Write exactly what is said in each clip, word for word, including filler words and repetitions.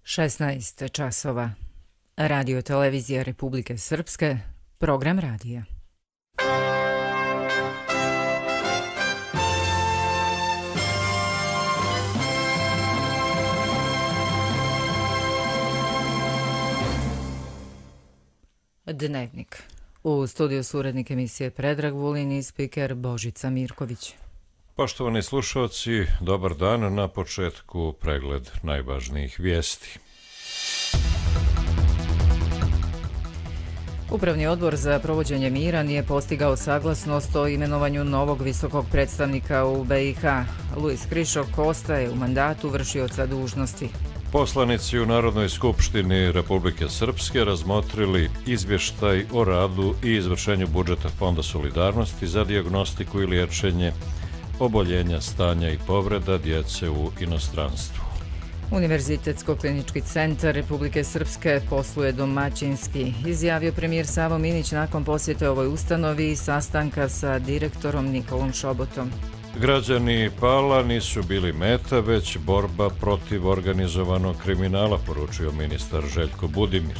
šesnaest časova. Radio televizija Republike Srpske, program radija. Dnevnik. U studiju su urednik emisije Predrag Vulin i spiker Božica Mirković. Poštovani slušalci, dobar dan. Na početku pregled najvažnijih vijesti. Upravni odbor za provođenje mira nije postigao saglasnost o imenovanju novog visokog predstavnika u B i H. Luis Krišok ostaje u mandatu vršioca dužnosti. Poslanici u Narodnoj skupštini Republike Srpske razmotrili izvještaj o radu i izvršenju budžeta Fonda solidarnosti za dijagnostiku i liječenje oboljenja, stanja i povreda djece u inostranstvu. Univerzitetsko-klinički centar Republike Srpske posluje domaćinski, izjavio premijer Savo Minić nakon posjete ovoj ustanovi i sastanka sa direktorom Nikolom Šobotom. Građani Pala nisu bili meta, već borba protiv organizovanog kriminala, poručio ministar Željko Budimir.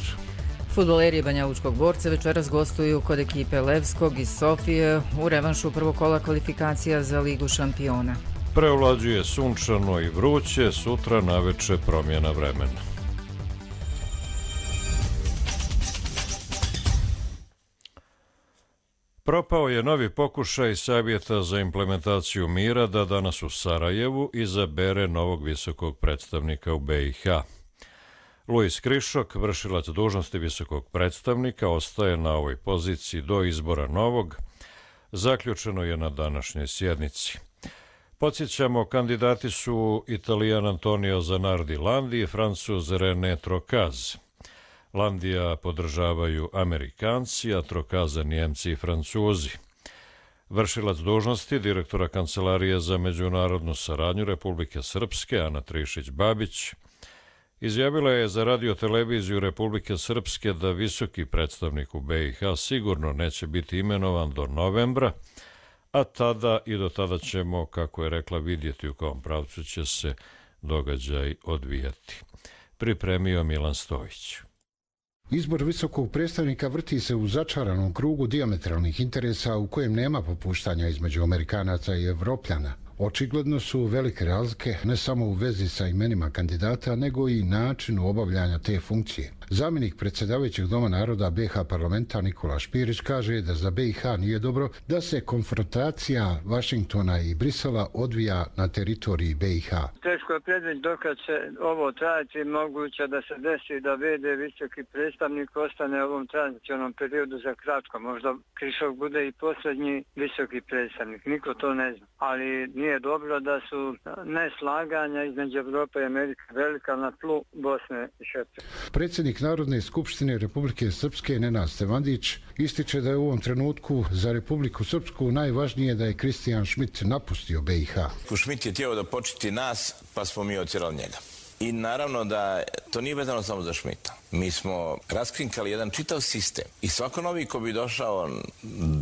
Fudbaleri Banjalučkog Borca večeras gostuju kod ekipe Levskog iz Sofije u revanšu prvog kola kvalifikacija za Ligu šampiona. Preovlađuje sunčano i vruće, sutra naveče promjena vremena. Propao je novi pokušaj Savjeta za implementaciju mira da danas u Sarajevu izabere novog visokog predstavnika u B i H. Luis Krišok, vršilac dužnosti visokog predstavnika, ostaje na ovoj poziciji do izbora novog, zaključeno je na današnjoj sjednici. Podsjećamo, kandidati su Italijan Antonio Zanardi Landi i Francuz René Trocaz. Landija podržavaju Amerikanci, a Trocaza Njemci i Francuzi. Vršilac dužnosti direktora Kancelarije za međunarodnu saradnju Republike Srpske, Ana Trišić-Babić, izjavila je za radio-televiziju Republike Srpske da visoki predstavnik u B i H sigurno neće biti imenovan do novembra, a tada i do tada ćemo, kako je rekla, vidjeti u kom pravcu će se događaj odvijati. Pripremio Milan Stojić. Izbor visokog predstavnika vrti se u začaranom krugu dijametralnih interesa u kojem nema popuštanja između Amerikanaca i Evropljana. Očigledno su velike razlike ne samo u vezi sa imenima kandidata, nego i načinu obavljanja te funkcije. Zamjenik predsjedavajućeg Doma naroda B i H parlamenta Nikola Špirić kaže da za B i H nije dobro da se konfrontacija Vašingtona i Brisela odvija na teritoriji B i H. Teško je predvidjeti dokad će ovo trajati, moguće da se desi da V D visoki predstavnik ostane u ovom tranzicionom periodu za kratko. Možda Krišok bude i posljednji visoki predstavnik, niko to ne zna. Ali nije dobro da su neslaganja između Evrope i Amerike velika na tlu Bosne i Hercegovine. Predsjednik Narodne skupštine Republike Srpske Nenad Stevandić ističe da je u ovom trenutku za Republiku Srpsku najvažnije da je Kristijan Šmit napustio B i H. Šmit je htio da početi nas, pa smo mi otjerali njega. I naravno da to nije vezano samo za Šmita. Mi smo raskrinkali jedan čitav sistem i svako novi ko bi došao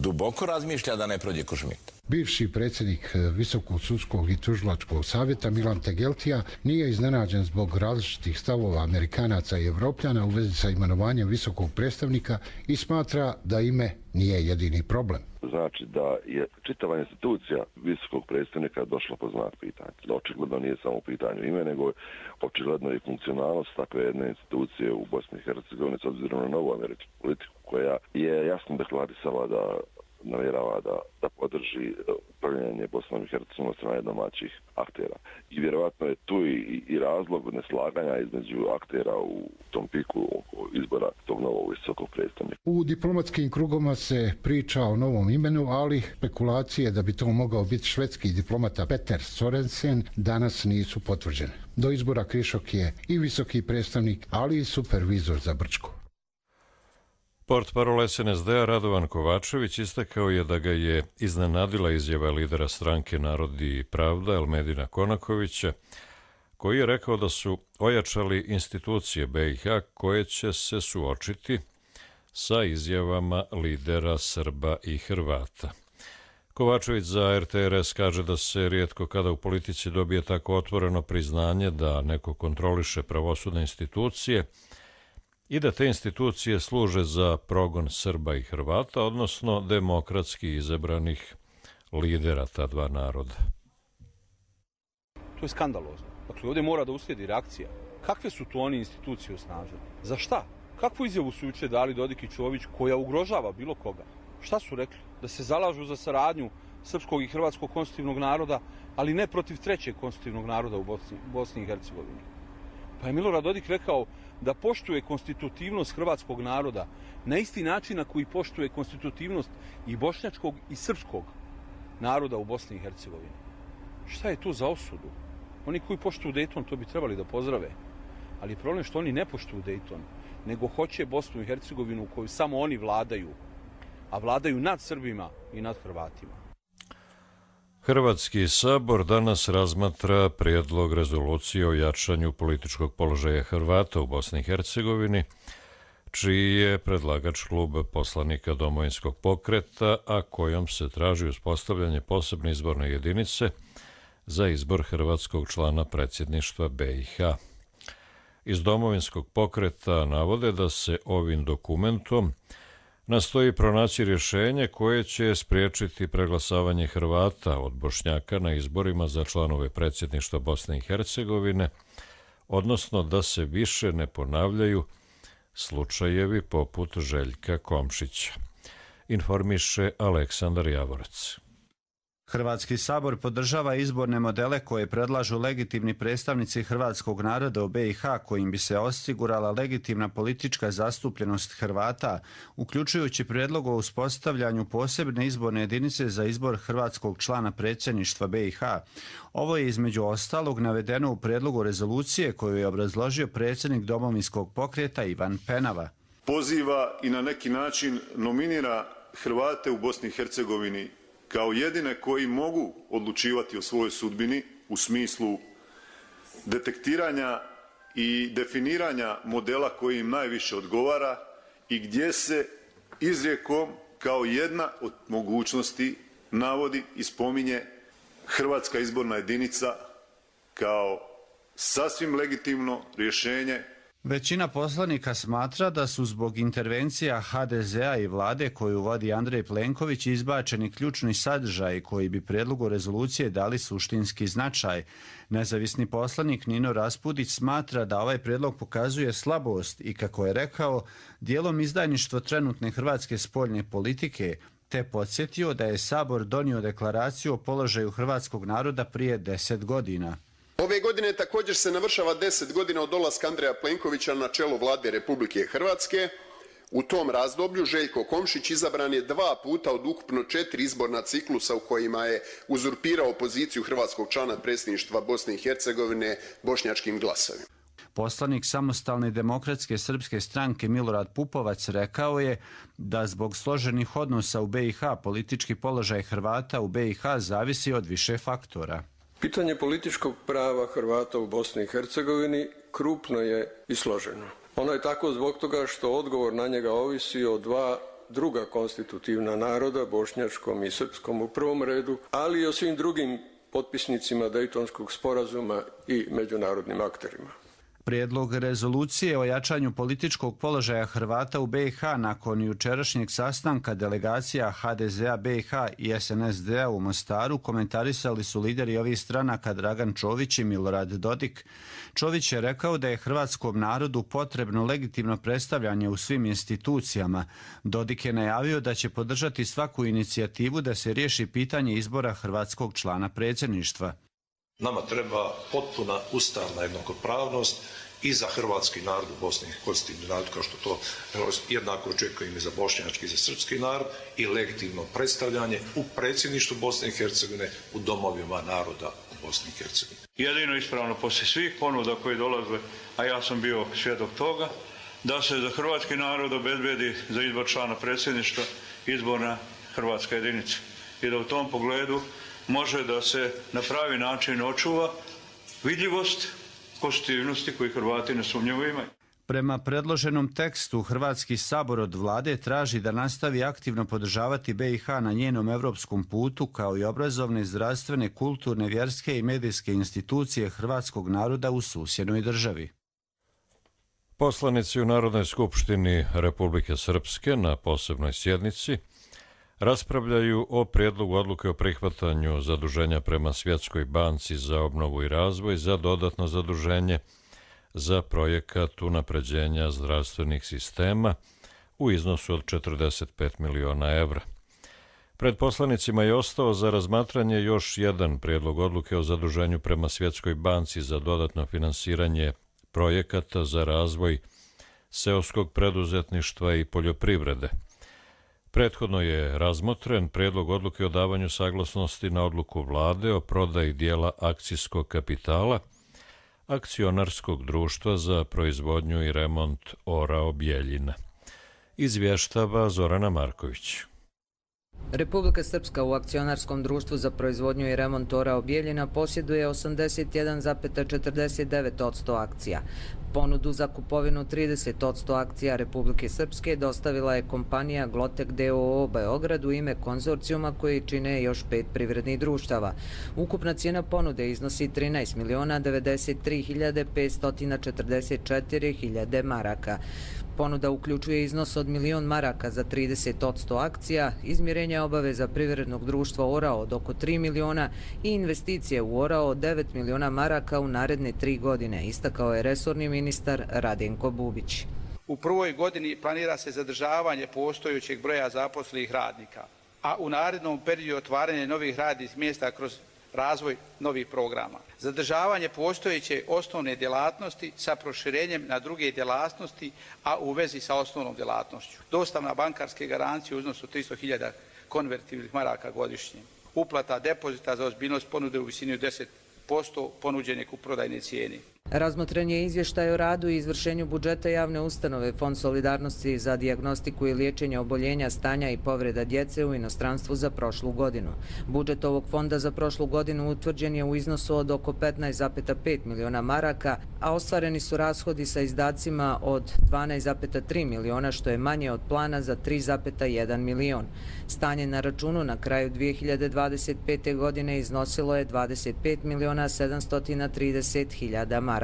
duboko razmišlja da ne prođe ko Šmita. Bivši predsjednik Visokog sudskog i tužilačkog savjeta Milan Tegeltija nije iznenađen zbog različitih stavova Amerikanaca i Evropljana u vezi sa imenovanjem visokog predstavnika i smatra da ime nije jedini problem. Znači da je čitava institucija visokog predstavnika došla po znak pitanja. Očigledno nije samo pitanje ime, nego očigledno i funkcionalnost takve jedne institucije u Bosni i Hercegovini s obzirom na novu američku politiku koja je jasno deklarisala da namjerava da, da podrži upravljanje Bosnom i Hercegovinom od strane domaćih aktera. I vjerovatno je tu i, i razlog neslaganja između aktera u tom piku oko izbora tog novog visokog predstavnika. U diplomatskim krugoma se priča o novom imenu, ali spekulacije da bi to mogao biti švedski diplomata Peter Sorensen danas nisu potvrđene. Do izbora Krišok je i visoki predstavnik, ali i supervizor za Brčko. Portparol S N S D-a Radovan Kovačević istakao je da ga je iznenadila izjava lidera stranke Narod i pravda Elmedina Konakovića, koji je rekao da su ojačali institucije B i H koje će se suočiti sa izjavama lidera Srba i Hrvata. Kovačević za er te er es kaže da se rijetko kada u politici dobije tako otvoreno priznanje da neko kontroliše pravosudne institucije i da te institucije služe za progon Srba i Hrvata, odnosno demokratski izabranih lidera ta dva naroda. To je skandalozno. Dakle, ovdje mora da uslijedi reakcija. Kakve su tu oni institucije osnažene? Za šta? Kakvu izjavu su juče dali Dodik i Čović koja ugrožava bilo koga? Šta su rekli? Da se zalažu za saradnju srpskog i hrvatskog konstitutivnog naroda, ali ne protiv trećeg konstitutivnog naroda u Bosni, Bosni i Hercegovini. Pa je Milorad Dodik rekao da poštuje konstitutivnost hrvatskog naroda na isti način na koji poštuje konstitutivnost i bošnjačkog i srpskog naroda u Bosni i Hercegovini. Šta je tu za osudu? Oni koji poštuju Dejton, to bi trebali da pozdrave. Ali je problem što oni ne poštuju Dejton, nego hoće Bosnu i Hercegovinu u kojoj samo oni vladaju, a vladaju nad Srbima i nad Hrvatima. Hrvatski sabor danas razmatra prijedlog rezolucije o jačanju političkog položaja Hrvata u Bosni i Hercegovini, čiji je predlagač klub poslanika Domovinskog pokreta, a kojom se traži uspostavljanje posebne izborne jedinice za izbor hrvatskog člana predsjedništva be i ha. Iz Domovinskog pokreta navode da se ovim dokumentom nastoji pronaći rješenje koje će spriječiti preglasavanje Hrvata od Bošnjaka na izborima za članove predsjedništva Bosne i Hercegovine, odnosno da se više ne ponavljaju slučajevi poput Željka Komšića. Informiše Aleksandar Javorac. Hrvatski sabor podržava izborne modele koje predlažu legitimni predstavnici hrvatskog naroda u be i ha, kojim bi se osigurala legitimna politička zastupljenost Hrvata, uključujući prijedlog o uspostavljanju posebne izborne jedinice za izbor hrvatskog člana predsjedništva be i ha. Ovo je između ostalog navedeno u prijedlogu rezolucije koju je obrazložio predsjednik Domovinskog pokreta Ivan Penava. Poziva i na neki način nominira Hrvate u Bosni i Hercegovini kao jedine koji mogu odlučivati o svojoj sudbini u smislu detektiranja i definiranja modela koji im najviše odgovara i gdje se izrijekom kao jedna od mogućnosti navodi i spominje hrvatska izborna jedinica kao sasvim legitimno rješenje. Većina poslanika smatra da su zbog intervencija ha de zea i vlade koju vodi Andrej Plenković izbačeni ključni sadržaji koji bi prijedlogu rezolucije dali suštinski značaj. Nezavisni poslanik Nino Raspudić smatra da ovaj prijedlog pokazuje slabost i, kako je rekao, dijelom izdajništvo trenutne hrvatske spoljne politike, te podsjetio da je Sabor donio deklaraciju o položaju hrvatskog naroda prije deset godina. Ove godine također se navršava deset godina od dolaska Andreja Plenkovića na čelo vlade Republike Hrvatske. U tom razdoblju Željko Komšić izabran je dva puta od ukupno četiri izborna ciklusa u kojima je uzurpirao poziciju hrvatskog člana predsjedništva Bosne i Hercegovine bošnjačkim glasovima. Poslanik Samostalne demokratske srpske stranke Milorad Pupovac rekao je da zbog složenih odnosa u be i ha politički položaj Hrvata u be i ha zavisi od više faktora. Pitanje političkog prava Hrvata u Bosni i Hercegovini krupno je i složeno. Ono je tako zbog toga što odgovor na njega ovisi o dva druga konstitutivna naroda, bošnjačkom i srpskom u prvom redu, ali i o svim drugim potpisnicima Dejtonskog sporazuma i međunarodnim akterima. Prijedlog rezolucije o jačanju političkog položaja Hrvata u be i ha nakon jučerašnjeg sastanka delegacija ha de zea be i ha i es en es de-a u Mostaru komentarisali su lideri ovih stranaka Dragan Čović i Milorad Dodik. Čović je rekao da je hrvatskom narodu potrebno legitimno predstavljanje u svim institucijama. Dodik je najavio da će podržati svaku inicijativu da se riješi pitanje izbora hrvatskog člana predsjedništva. Nama treba potpuna ustavna jednakopravnost i za hrvatski narod u Bosni, konstitutivni narod, kao što to jednako očekujem i za bošnjački i za srpski narod, i legitimno predstavljanje u predsjedništvu Bosne i Hercegovine u domovima naroda u Bosni i Hercegovini. Jedino ispravno poslije svih ponuda koje dolaze, a ja sam bio svjedok toga, da se za hrvatski narod obezbedi za izbor člana predsjedništva izborna hrvatska jedinica. I da u tom pogledu može da se na pravi način očuva vidljivost konstitutivnosti koji Hrvati nesumnjivo imaju. Prema predloženom tekstu, Hrvatski sabor od vlade traži da nastavi aktivno podržavati B i H na njenom evropskom putu, kao i obrazovne, zdravstvene, kulturne, vjerske i medijske institucije hrvatskog naroda u susjednoj državi. Poslanici u Narodnoj skupštini Republike Srpske na posebnoj sjednici raspravljaju o prijedlogu odluke o prihvatanju zaduženja prema Svjetskoj banci za obnovu i razvoj za dodatno zaduženje za projekat unapređenja zdravstvenih sistema u iznosu od četrdeset pet miliona evra. Pred poslanicima je ostao za razmatranje još jedan prijedlog odluke o zaduženju prema Svjetskoj banci za dodatno finansiranje projekata za razvoj seoskog preduzetništva i poljoprivrede. Prethodno je razmotren prijedlog odluke o davanju saglasnosti na odluku vlade o prodaji dijela akcijskog kapitala Akcionarskog društva za proizvodnju i remont Orao Bjeljina. Izvještava Zorana Marković. Republika Srpska u Akcionarskom društvu za proizvodnju i remont Orao Bjeljina posjeduje osamdeset jedan zarez četrdeset devet posto akcija. Ponudu za kupovinu trideset posto akcija Republike Srpske dostavila je kompanija Glotek d o o Beograd u ime konzorcijuma koji čine još pet privrednih društava. Ukupna cijena ponude iznosi trinaest miliona devedeset tri hiljade petsto četrdeset četiri hiljade maraka. Ponuda uključuje iznos od milion maraka za trideset posto akcija, izmirenje obaveza privrednog društva Orao od oko tri miliona i investicije u Orao od devet miliona maraka u naredne tri godine, istakao je resorni ministar Radenko Bubić. U prvoj godini planira se zadržavanje postojećeg broja zaposlenih radnika, a u narednom periodu otvaranje novih radnih mjesta kroz razvoj novih programa. Zadržavanje postojeće osnovne djelatnosti sa proširenjem na druge djelatnosti, a u vezi sa osnovnom djelatnošću. Dostavna bankarske garancije u iznosu tristo hiljada konvertibilnih maraka godišnje. Uplata depozita za ozbiljnost ponude u visini od deset posto ponuđene kupoprodajne cijene. Razmotren je izvještaj o radu i izvršenju budžeta javne ustanove Fond solidarnosti za dijagnostiku i liječenje oboljenja, stanja i povreda djece u inostranstvu za prošlu godinu. Budžet ovog fonda za prošlu godinu utvrđen je u iznosu od oko petnaest zarez pet miliona maraka, a ostvareni su rashodi sa izdacima od dvanaest zarez tri miliona, što je manje od plana za tri zarez jedan milion. Stanje na računu na kraju dvije hiljade dvadeset pete. godine iznosilo je dvadeset pet miliona sedamsto trideset hiljada maraka.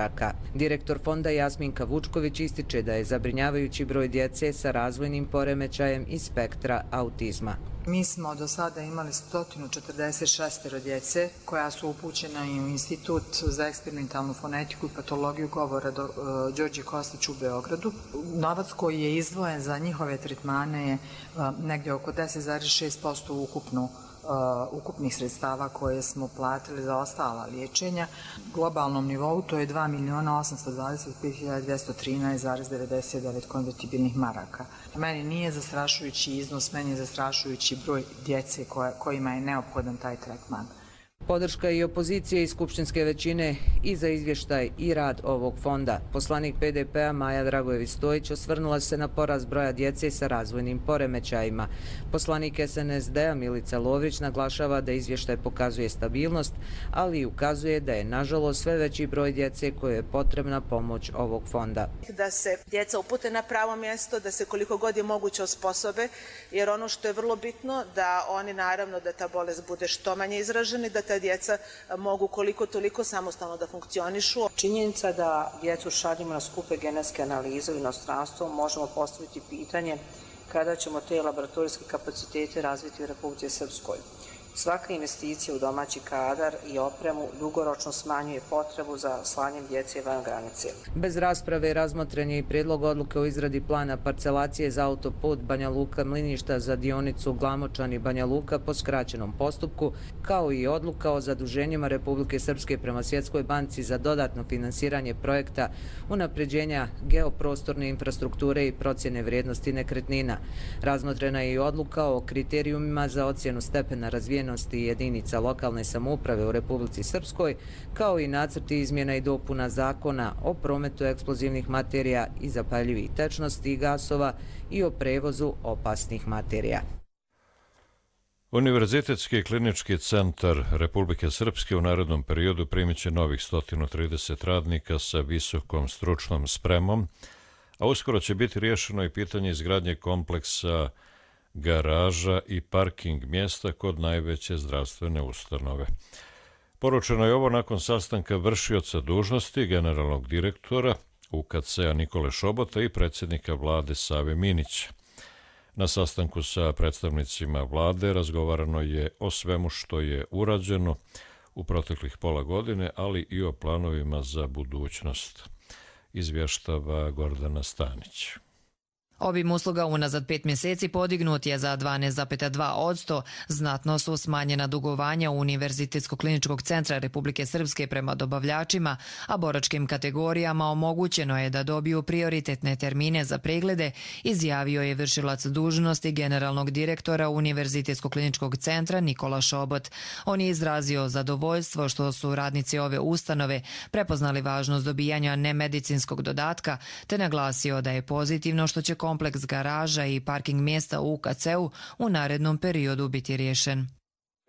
Direktor fonda Jasminka Vučković ističe da je zabrinjavajući broj djece sa razvojnim poremećajem i spektra autizma. Mi smo do sada imali sto četrdeset šest djece koja su upućena u Institut za eksperimentalnu fonetiku i patologiju govora do, uh, Đorđe Kostić u Beogradu. Novac koji je izdvojen za njihove tretmane je uh, negdje oko deset zarez šest posto ukupno Uh, ukupnih sredstava koje smo platili za ostala liječenja. U globalnom nivou to je dva miliona osamsto dvadeset pet hiljada dvjesto trinaest zarez devedeset devet konvertibilnih maraka. Meni nije zastrašujući iznos, meni je zastrašujući broj djece koja, kojima je neophodan taj tretman. Podrška i opozicije i skupštinske većine i za izvještaj i rad ovog fonda. Poslanik P D P-a Maja Dragojević-Stojić osvrnula se na porast broja djece sa razvojnim poremećajima. Poslanik S N S D-a Milica Lovrić naglašava da izvještaj pokazuje stabilnost, ali i ukazuje da je nažalost sve veći broj djece koje je potrebna pomoć ovog fonda. Da se djeca upute na pravo mjesto, da se koliko god je moguće osposobe, jer ono što je vrlo bitno da oni naravno da ta bolest bude što manje izražena, da ta djeca mogu koliko toliko samostalno da funkcionišu. Činjenica da djecu šaljimo na skupe genetske analize u inostranstvo, možemo postaviti pitanje kada ćemo te laboratorijske kapacitete razviti u Republici Srpskoj. Svaka investicija u domaći kadar i opremu dugoročno smanjuje potrebu za slanjem djece van granice. Bez rasprave razmotren je i prijedlog odluke o izradi plana parcelacije za autoput Banja Luka-Mliništa za dionicu Glamočani-Banja Luka po skraćenom postupku, kao i odluka o zaduženjima Republike Srpske prema Svjetskoj banci za dodatno finansiranje projekta unapređenja geoprostorne infrastrukture i procjene vrijednosti nekretnina. Razmotrena je i odluka o kriterijumima za ocjenu stepena razvijenosti jedinica lokalne samouprave u Republici Srpskoj, kao i nacrti izmjena i dopuna zakona o prometu eksplozivnih materija i zapaljivih tečnosti i gasova i o prevozu opasnih materija. Univerzitetski klinički centar Republike Srpske u narednom periodu primit će novih sto trideset radnika sa visokom stručnom spremom, a uskoro će biti riješeno i pitanje izgradnje kompleksa garaža i parking mjesta kod najveće zdravstvene ustanove. Poručeno je ovo nakon sastanka vršioca dužnosti generalnog direktora U K C-a Nikole Šobota i predsjednika vlade Save Minića. Na sastanku sa predstavnicima vlade razgovarano je o svemu što je urađeno u proteklih pola godine, ali i o planovima za budućnost, izvještava Gordana Stanić. Obim usluga unazad pet mjeseci podignut je za dvanaest zarez dva posto, znatno su smanjena dugovanja Univerzitetskog kliničkog centra Republike Srpske prema dobavljačima, a boračkim kategorijama omogućeno je da dobiju prioritetne termine za preglede, izjavio je vršilac dužnosti generalnog direktora Univerzitetskog kliničkog centra Nikola Šobot. On je izrazio zadovoljstvo što su radnici ove ustanove prepoznali važnost dobijanja nemedicinskog dodatka, te naglasio da je pozitivno što će kompleks garaža i parking mjesta u U K C-u u narednom periodu biti riješen.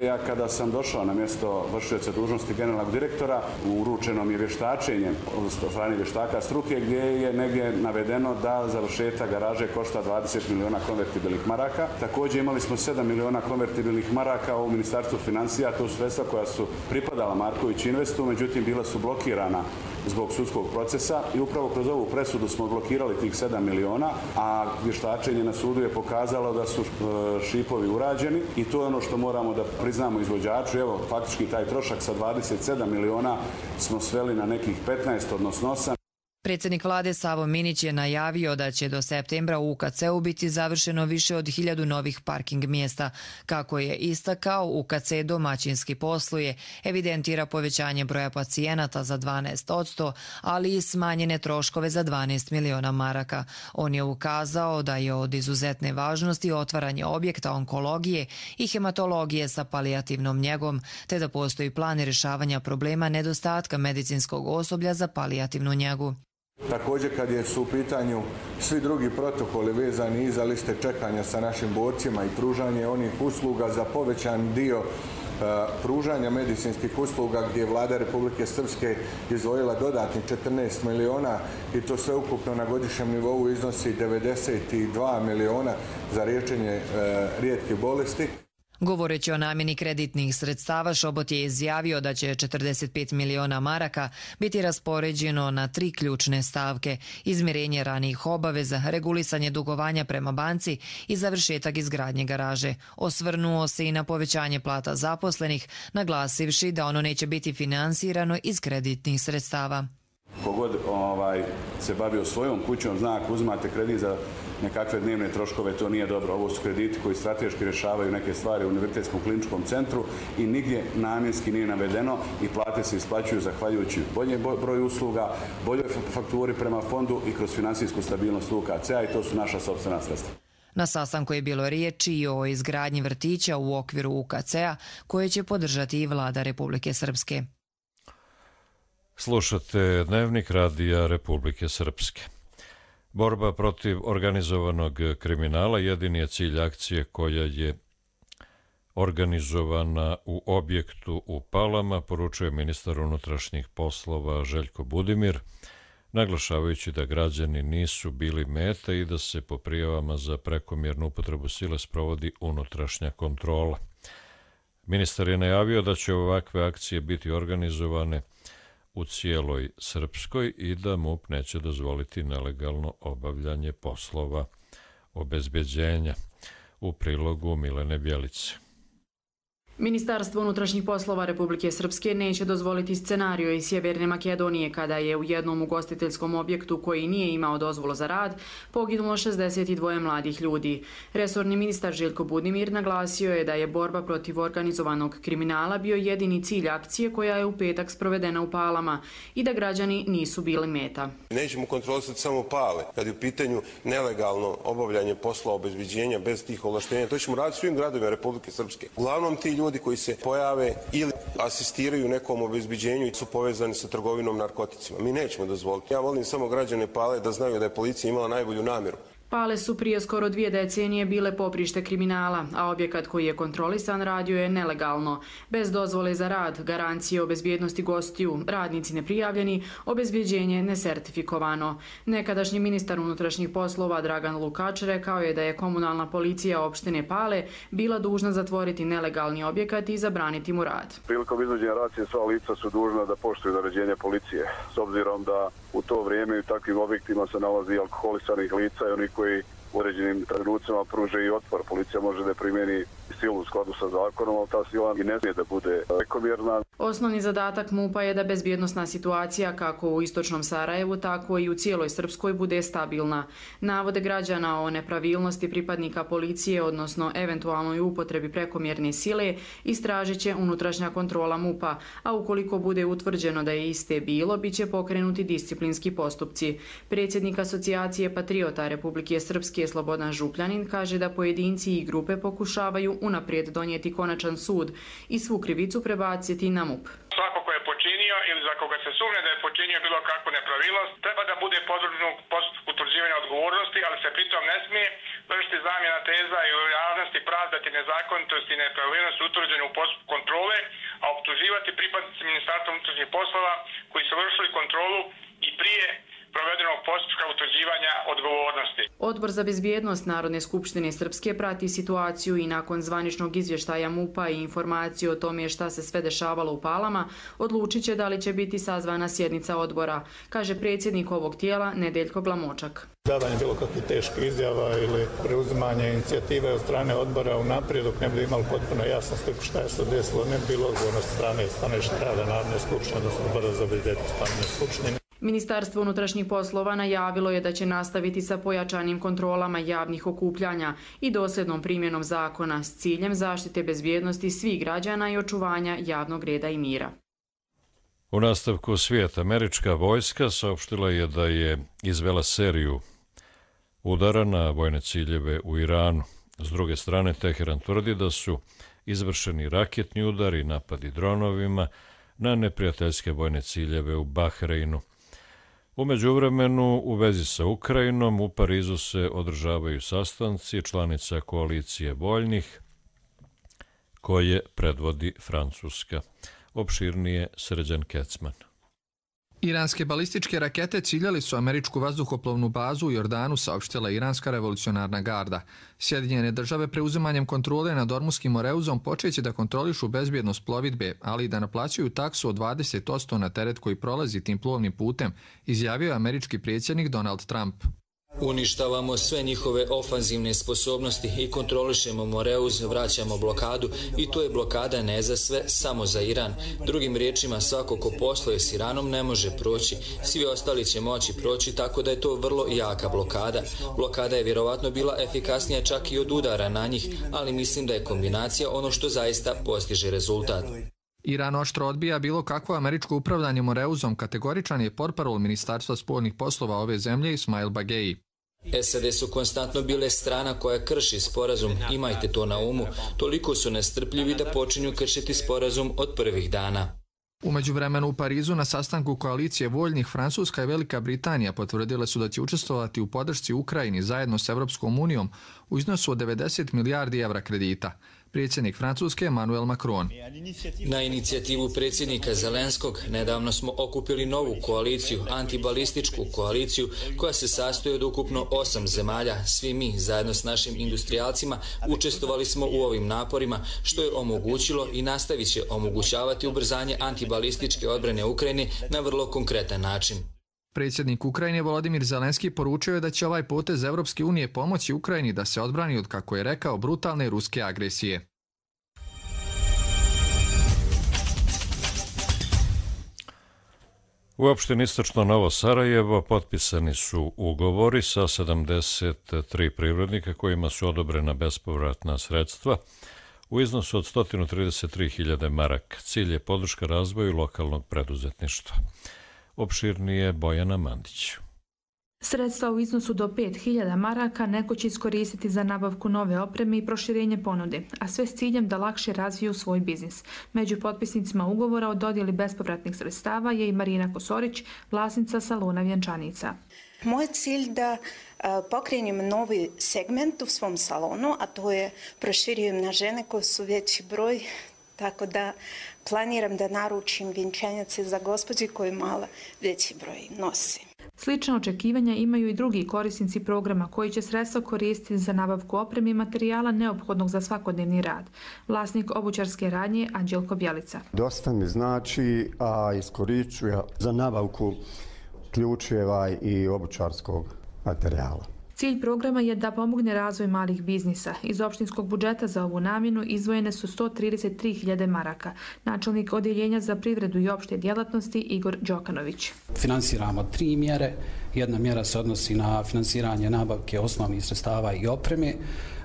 Ja kada sam došao na mjesto vršioca dužnosti generalnog direktora, uručeno mi je vještačenje od strane vještaka struke gdje je negdje navedeno da završetak garaže košta dvadeset miliona konvertibilnih maraka. Također imali smo sedam miliona konvertibilnih maraka u Ministarstvu financija, to su sredstva koja su pripadala Marković Investu, međutim bila su blokirana zbog sudskog procesa i upravo kroz ovu presudu smo blokirali tih sedam miliona, a vještačenje na sudu je pokazalo da su šipovi urađeni i to je ono što moramo da priznamo izvođaču. Evo, faktički taj trošak sa dvadeset sedam miliona smo sveli na nekih petnaest, odnosno osam. Predsjednik vlade Savo Minić je najavio da će do septembra u U K C-u biti završeno više od hiljadu novih parking mjesta. Kako je istakao, U K C domaćinski posluje, evidentira povećanje broja pacijenata za dvanaest posto, ali i smanjene troškove za dvanaest miliona maraka. On je ukazao da je od izuzetne važnosti otvaranje objekta onkologije i hematologije sa palijativnom njegom, te da postoji plan rješavanja problema nedostatka medicinskog osoblja za palijativnu njegu. Također kad je su u pitanju svi drugi protokoli vezani i za liste čekanja sa našim borcima i pružanje onih usluga za povećan dio uh, pružanja medicinskih usluga gdje je vlada Republike Srpske izdvojila dodatnih četrnaest miliona i to sve ukupno na godišnjem nivou iznosi devedeset dva miliona za liječenje uh, rijetkih bolesti. Govoreći o namjeni kreditnih sredstava, Šobot je izjavio da će četrdeset pet miliona maraka biti raspoređeno na tri ključne stavke: izmirenje ranijih obaveza, regulisanje dugovanja prema banci i završetak izgradnje garaže. Osvrnuo se i na povećanje plata zaposlenih, naglasivši da ono neće biti finansirano iz kreditnih sredstava. Kogod ovaj, se bavio svojom kućom, zna ako uzmate kredit za nekakve dnevne troškove, to nije dobro. Ovo su krediti koji strateški rješavaju neke stvari u Univerzitetskom kliničkom centru i nigdje namjenski nije navedeno i plate se isplaćuju zahvaljujući bolje broju usluga, boljoj fakturi prema fondu i kroz finansijsku stabilnost U K C-a i to su naša sopstvena sredstva. Na sastanku je bilo riječi i o izgradnji vrtića u okviru U K C-a koje će podržati i vlada Republike Srpske. Slušate Dnevnik radija Republike Srpske. Borba protiv organizovanog kriminala jedini je cilj akcije koja je organizovana u objektu u Palama, poručuje ministar unutrašnjih poslova Željko Budimir, naglašavajući da građani nisu bili meta i da se po prijavama za prekomjernu upotrebu sile sprovodi unutrašnja kontrola. Ministar je najavio da će ovakve akcije biti organizovane u cijeloj Srpskoj i da MUP neće dozvoliti nelegalno obavljanje poslova obezbeđenja. U prilogu Milene Bjelice. Ministarstvo unutrašnjih poslova Republike Srpske neće dozvoliti scenario iz Sjeverne Makedonije kada je u jednom ugostiteljskom objektu koji nije imao dozvolu za rad poginulo šezdeset dva mladih ljudi. Resorni ministar Željko Budimir naglasio je da je borba protiv organizovanog kriminala bio jedini cilj akcije koja je u petak sprovedena u Palama i da građani nisu bili meta. Nećemo kontrolisati samo Pale. Kad je u pitanju nelegalno obavljanje posla obezbeđenja bez tih ovlaštenja, to ćemo raditi svim gradovima Republike Srpske. Uglavnom ti ljudi koji se pojave ili asistiraju nekom obezbeđenju i su povezani sa trgovinom narkoticima. Mi nećemo dozvoliti. Ja volim samo građane Pale da znaju da je policija imala najbolju namjeru. Pale su prije skoro dvije decenije bile poprište kriminala, a objekat koji je kontrolisan radio je nelegalno. Bez dozvole za rad, garancije o bezbjednosti gostiju, radnici neprijavljeni, obezbjeđenje nesertifikovano. Nekadašnji ministar unutrašnjih poslova Dragan Lukač rekao je da je komunalna policija opštine Pale bila dužna zatvoriti nelegalni objekat i zabraniti mu rad. Prilikom izvođenja racije sva lica su dužna da poštuju naređenja policije, s obzirom da u to vrijeme u takvim objektima se nalazi alkoholisanih lica i oni koji u uređenim trenucima pruže i otpor. Policija može da primjeni silu u skladu sa zakonom, ali ta sila i ne smije da bude prekomjerna. Osnovni zadatak MUP-a je da bezbjednosna situacija kako u istočnom Sarajevu, tako i u cijeloj Srpskoj bude stabilna. Navode građana o nepravilnosti pripadnika policije, odnosno eventualnoj upotrebi prekomjerne sile, istražit će unutrašnja kontrola MUP-a, a ukoliko bude utvrđeno da je iste bilo, bit će pokrenuti disciplinski postupci. Predsjednik Asocijacije patriota Republike Srpske Slobodan Župljanin kaže da pojedinci i grupe pokušavaju unaprijed donijeti konačan sud i svu krivicu prebaciti na MUP. Svako ko je počinio ili za koga se sumnja da je počinio bilo kakvu nepravilnost, treba da bude podvrgnut postupku utvrđivanja odgovornosti, ali se pritom ne smije vršiti zamjena teza i u javnosti pravdati nezakonitosti i nepravilnosti utvrđene u postupku kontrole, a optuživati pripadnici Ministarstva unutrašnjih poslova koji su vršili kontrolu i prije provedenog postupka utvrđivanja odgovornosti. Odbor za bezbjednost Narodne skupštine Srpske prati situaciju i nakon zvaničnog izvještaja MUP-a i informacije o tome šta se sve dešavalo u Palama, odlučit će da li će biti sazvana sjednica odbora, kaže predsjednik ovog tijela Nedeljko Glamočak. Davanje bilo kakvih teških izjava ili preuzimanje inicijative od strane odbora unaprijed dok ne bi imali potpuno jasno sliku šta je se desilo, ne bi bilo odgovornost strane stanovišta rada Narodne skupštine, odnosno odbora za bezbjednost Narodne skupštine. Ministarstvo unutrašnjih poslova najavilo je da će nastaviti sa pojačanim kontrolama javnih okupljanja i dosljednom primjenom zakona s ciljem zaštite bezbjednosti svih građana i očuvanja javnog reda i mira. U nastavku svijeta, američka vojska saopštila je da je izvela seriju udara na vojne ciljeve u Iranu. S druge strane, Teheran tvrdi da su izvršeni raketni udari i napadi dronovima na neprijateljske vojne ciljeve u Bahreinu. U međuvremenu, u vezi sa Ukrajinom, u Parizu se održavaju sastanci članica koalicije voljnih koje predvodi Francuska. Opširnije Srđan Kecman. Iranske balističke rakete ciljali su američku vazduhoplovnu bazu u Jordanu, saopštila Iranska revolucionarna garda. Sjedinjene države preuzimanjem kontrole nad Ormuskim moreuzom počeće da kontrolišu bezbjednost plovidbe, ali i da naplaćuju taksu od dvadeset posto na teret koji prolazi tim plovnim putem, izjavio je američki predsjednik Donald Trump. Uništavamo sve njihove ofanzivne sposobnosti i kontrolišemo Moreuz, vraćamo blokadu i to je blokada ne za sve, samo za Iran. Drugim riječima, svako ko posluje s Iranom ne može proći, svi ostali će moći proći, tako da je to vrlo jaka blokada. Blokada je vjerovatno bila efikasnija čak i od udara na njih, ali mislim da je kombinacija ono što zaista postiže rezultat. Iran oštro odbija bilo kakvo američko upravljanje Moreuzom, kategoričan je portparol Ministarstva spoljnih poslova ove zemlje Ismail Bagei. S A D su konstantno bile strana koja krši sporazum, imajte to na umu, toliko su nestrpljivi da počinju kršiti sporazum od prvih dana. U međuvremenu u Parizu na sastanku koalicije voljnih Francuska i Velika Britanija potvrdile su da će učestvovati u podršci Ukrajini zajedno s Evropskom unijom u iznosu od devedeset milijardi evra kredita. Predsjednik Francuske Emmanuel Macron. Na inicijativu predsjednika Zelenskog nedavno smo okupili novu koaliciju, antibalističku koaliciju, koja se sastoji od ukupno osam zemalja. Svi mi, zajedno s našim industrijalcima, učestvovali smo u ovim naporima, što je omogućilo i nastavit će omogućavati ubrzanje antibalističke odbrane Ukrajine na vrlo konkretan način. Predsjednik Ukrajine Volodimir Zelenski poručio je da će ovaj potez Evropske unije pomoći Ukrajini da se odbrani od, kako je rekao, brutalne ruske agresije. U opštini Istočno Novo Sarajevo potpisani su ugovori sa sedamdeset tri privrednika kojima su odobrena bespovratna sredstva u iznosu od sto trideset tri hiljade maraka. Cilj je podrška razvoju lokalnog preduzetništva. Opširnije Bojana Mandić. Sredstva u iznosu do pet hiljada maraka neko će iskoristiti za nabavku nove opreme i proširenje ponude, a sve s ciljem da lakše razviju svoj biznis. Među potpisnicima ugovora o dodjeli bespovratnih sredstava je i Marina Kosorić, vlasnica salona Vjenčanica. Moj cilj da pokrenjem novi segment u svom salonu, a to je proširujem na žene koje su veći broj, tako da planiram da naručim vjenčanjace za gospođe koje mala veći broj nosi. Slična očekivanja imaju i drugi korisnici programa koji će sredstva koristiti za nabavku opreme i materijala neophodnog za svakodnevni rad. Vlasnik obućarske radnje Anđelko Bjelica. Dosta mi znači, a iskorišćujem za nabavku ključeva i obućarskog materijala. Cilj programa je da pomogne razvoj malih biznisa. Iz opštinskog budžeta za ovu namjenu izdvojene su sto trideset tri hiljade maraka. Načelnik Odjeljenja za privredu i opšte djelatnosti Igor Đokanović. Finansiramo tri mjere. Jedna mjera se odnosi na finansiranje nabavke osnovnih sredstava i opreme.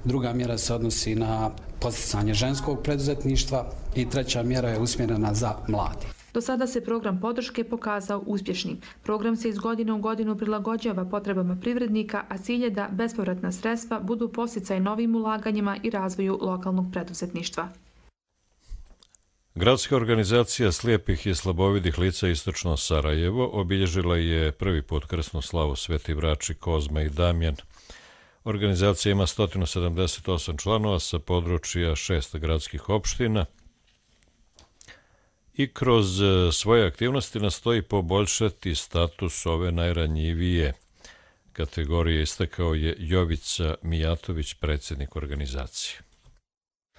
Druga mjera se odnosi na podsticanje ženskog preduzetništva i treća mjera je usmjerena za mlade. Do sada se program podrške pokazao uspješnim. Program se iz godine u godinu prilagođava potrebama privrednika, a cilj je da bespovratna sredstva budu podsticaj novim ulaganjima i razvoju lokalnog preduzetništva. Gradska organizacija slijepih i slabovidih lica Istočno Sarajevo obilježila je prvi put krsnu slavu Sveti Vrači, Kozma i Damjan. Organizacija ima sto sedamdeset osam članova sa područja šest gradskih opština i kroz svoje aktivnosti nastoji poboljšati status ove najranjivije kategorije, istakao je Jovica Mijatović, predsjednik organizacije.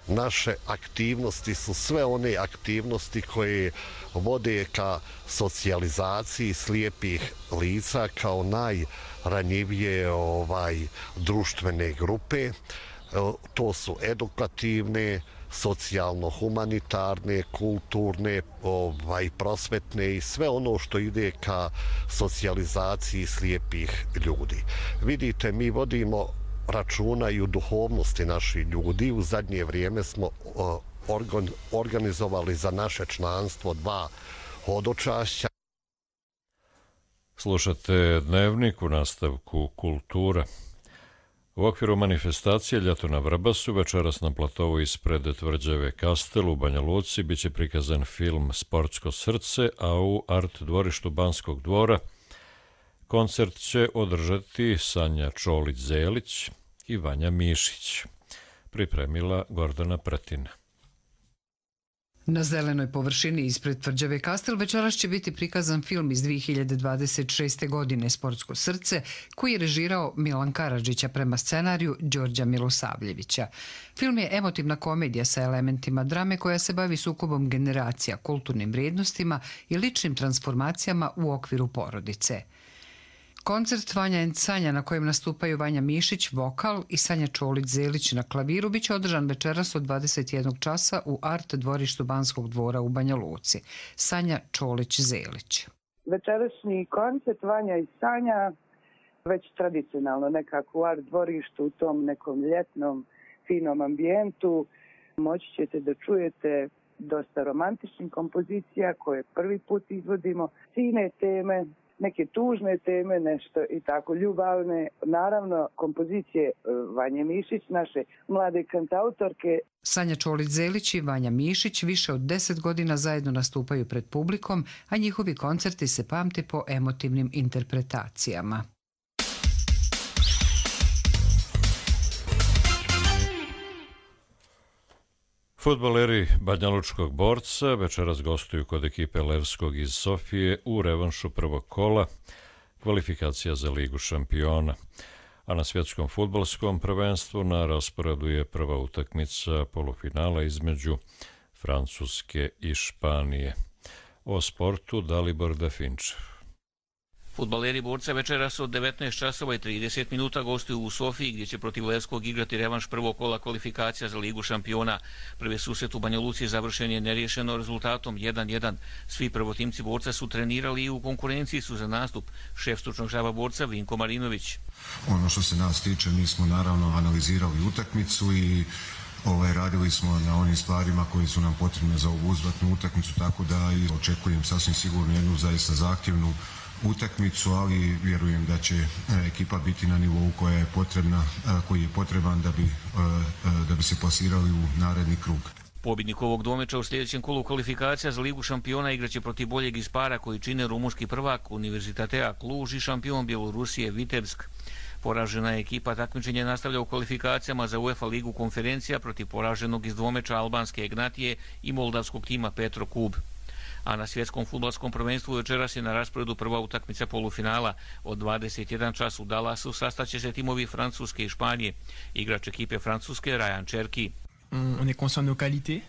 Naše aktivnosti su sve one aktivnosti koje vode ka socijalizaciji slijepih lica kao najranjivije ovaj, društvene grupe. To su edukativne, socijalno-humanitarne, kulturne, ovaj, prosvetne i sve ono što ide ka socijalizaciji slijepih ljudi. Vidite, mi vodimo računa i u duhovnosti naših ljudi. U zadnje vrijeme smo organ, organizovali za naše članstvo dva hodočašća. Slušate Dnevnik, u nastavku Kultura. U okviru manifestacije Ljeto na Vrbasu večeras na platovu ispred tvrđave Kastel u Banja Luci biće prikazan film Sportsko srce, a u art dvorištu Banskog dvora koncert će održati Sanja Čolić-Zelić i Vanja Mišić. Pripremila Gordana Pretina. Na zelenoj površini ispred tvrđave Kastel večeras će biti prikazan film iz dvije hiljade dvadeset šeste. godine Sportsko srce, koji je režirao Milan Karadžić prema scenariju Đorđa Milosavljevića. Film je emotivna komedija sa elementima drame koja se bavi sukobom generacija, kulturnim vrijednostima i ličnim transformacijama u okviru porodice. Koncert Vanja and Sanja na kojem nastupaju Vanja Mišić, vokal i Sanja Čolić-Zelić na klaviru biće održan večeras od dvadeset jednog časa u art dvorištu Banskog dvora u Banja Luci. Sanja Čolić-Zelić. Večerašnji koncert Vanja i Sanja već tradicionalno nekako u art dvorištu u tom nekom ljetnom finom ambijentu. Moći ćete da čujete dosta romantičnih kompozicija koje prvi put izvodimo, sine teme, neke tužne teme, nešto i tako ljubavne. Naravno, kompozicije Vanje Mišić, naše mlade kantautorke. Sanja Čolić-Zelić i Vanja Mišić više od deset godina zajedno nastupaju pred publikom, a njihovi koncerti se pamte po emotivnim interpretacijama. Fudbaleri Banjalučkog Borca večeras gostuju kod ekipe Levskog iz Sofije u revanšu prvog kola kvalifikacija za Ligu šampiona. A na svjetskom fudbalskom prvenstvu na rasporedu je prva utakmica polufinala između Francuske i Španije. O sportu Dalibor Dafinčev. Fudbaleri Borca večeras od devetnaest časova i trideset minuta gostuju u Sofiji gdje će protiv Levskog igrati revanš prvog kola kvalifikacija za Ligu šampiona. Prvi susret u Banja Luci završen je neriješeno rezultatom jedan jedan. Svi prvotimci Borca su trenirali i u konkurenciji su za nastup. Šef stručnog štaba Borca Vinko Marinović. Ono što se nas tiče, mi smo naravno analizirali utakmicu i Ovaj, radili smo na onim stvarima koji su nam potrebne za ovu uzvratnu utakmicu, tako da i očekujem sasvim sigurno jednu zaista zahtjevnu utakmicu, ali vjerujem da će ekipa biti na nivou koja je potrebna, koji je potreban da bi, da bi se plasirali u naredni krug. Pobjednik ovog dvomeča u sljedećem kolu kvalifikacija za Ligu šampiona igraće protiv boljeg iz para koji čine rumunski prvak Univerzitatea Kluž i šampion Bjelorusije Vitebsk. Poražena ekipa takmičenje nastavlja u kvalifikacijama za UEFA ligu konferencija protiv poraženog iz dvomeča albanske Egnatije i moldavskog tima Petro Kub. A na svjetskom fudbalskom prvenstvu večeras je na rasporedu prva utakmica polufinala. Od dvadeset jedan čas u Dallasu sastaće se timovi Francuske i Španije. Igrač ekipe Francuske Ryan Cherki.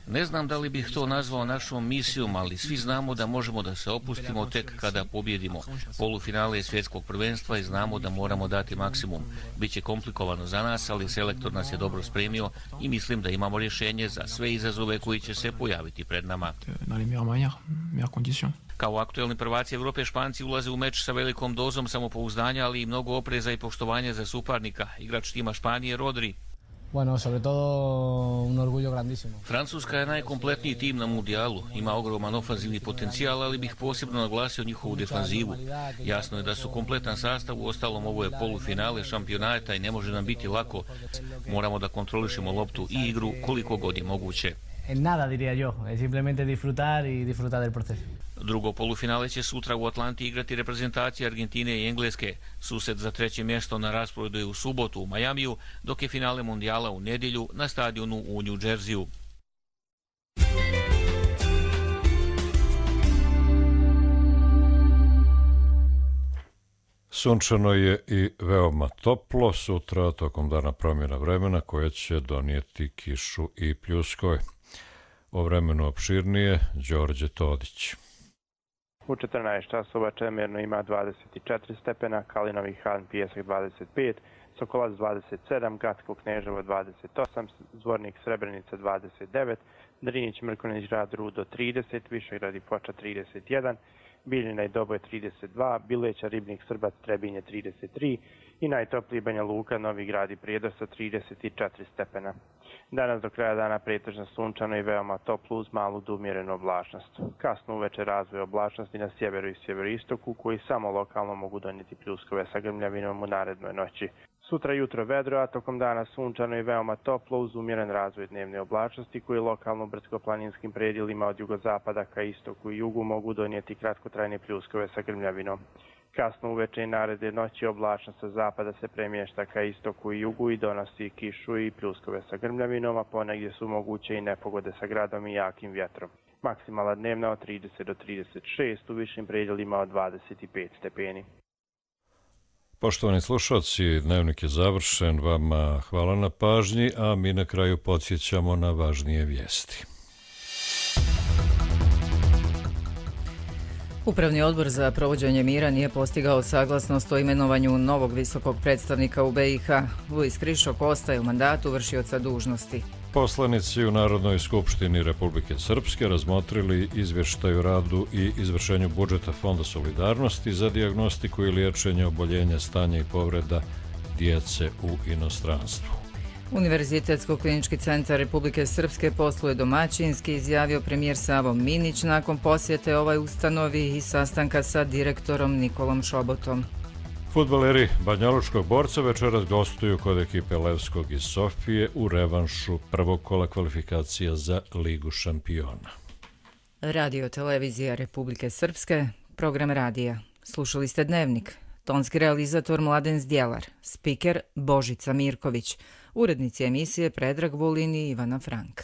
Ne znam da li bih to nazvao našom misijom, ali svi znamo da možemo da se opustimo tek kada pobjedimo. Polufinale je svjetskog prvenstva i znamo da moramo dati maksimum. Biće komplikovano za nas, ali selektor nas je dobro spremio i mislim da imamo rješenje za sve izazove koji će se pojaviti pred nama. Kao aktuelni prvaci Evrope, Španci ulaze u meč sa velikom dozom samopouzdanja, ali i mnogo opreza i poštovanja za suparnika. Igrač tima Španije Rodri. Bueno, sobre todo un orgullo grandísimo. Francuska je najkompletniji tim na mundijalu, ima ogroman ofanzivni potencijal, ali bih posebno naglasio njihovu defanzivu. Jasno je da su kompletan sastav, u ostalom ovo je polufinale šampionata i ne može nam biti lako. Moramo da kontrolišemo loptu i igru koliko god je moguće. Nada, diría yo, es simplemente disfrutar y disfrutar del proceso. Drugo polufinale će sutra u Atlanti igrati reprezentacije Argentine i Engleske. Susret za treće mjesto na rasporedu je u subotu u Majamiju, dok je finale mundijala u nedjelju na stadionu u New Jerseyu. Sunčano je i veoma toplo, sutra tokom dana promjena vremena koja će donijeti kišu i pljuskove. O vremenu opširnije, Đorđe Todić. U četrnaest časova Čemerno ima dvadeset četiri stepena, Kalinovi Han Pijesak dvadeset pet, Sokolac dvadeset sedam, Gatsko Kneževo dvadeset osam, Zvornik Srebrenica dvadeset devet, Drinić Mrkonjić Grad Rudo trideset, Višegrad i Foča trideset jedan, Biljina i Doboj trideset dva, Bileća Ribnik Srbac Trebinje trideset tri i najtopliji Banja Luka Novi Grad i Prijedor sa trideset četiri stepena. Danas do kraja dana pretežno sunčano i veoma toplo uz malu do umjerenu oblačnost. Kasno uveče razvoj oblačnosti na sjeveru i sjeveroistoku koji samo lokalno mogu donijeti pljuskove sa grmljavinom u narednoj noći. Sutra jutro vedro, a tokom dana sunčano i veoma toplo uz umjeren razvoj dnevne oblačnosti koji lokalno u brdsko-planinskim predjelima od jugozapada ka istoku i jugu mogu donijeti kratkotrajne pljuskove sa grmljavinom. Kasno uveče i naredne noći oblačnost sa zapada se premješta ka istoku i jugu i donosi kišu i pljuskove sa grmljavinom, a ponegdje su moguće i nepogode sa gradom i jakim vjetrom. Maksimala dnevna od trideset do trideset šest, u višim predjelima od dvadeset pet stepeni. Poštovani slušalci, dnevnik je završen, vama hvala na pažnji, a mi na kraju podsjećamo na važnije vijesti. Upravni odbor za provođenje mira nije postigao saglasnost o imenovanju novog visokog predstavnika u B i H. Luis Krišok ostaje u mandatu vršioca dužnosti. Poslanici u Narodnoj skupštini Republike Srpske razmotrili izvještaj o radu i izvršenju budžeta Fonda solidarnosti za dijagnostiku i liječenje oboljenja, stanja i povreda djece u inostranstvu. Univerzitetsko-klinički centar Republike Srpske posluje domaćinski, izjavio premijer Savo Minić nakon posjete ovoj ustanovi i sastanka sa direktorom Nikolom Šobotom. Fudbaleri Banjalučkog Borca večeras gostuju kod ekipe Levskog iz Sofije u revanšu prvog kola kvalifikacija za Ligu šampiona. Radio televizija Republike Srpske, program radija. Slušali ste Dnevnik. Tonski realizator Mladen Zdjelar, spiker Božica Mirković, urednici emisije Predrag Vulin i Ivana Frank.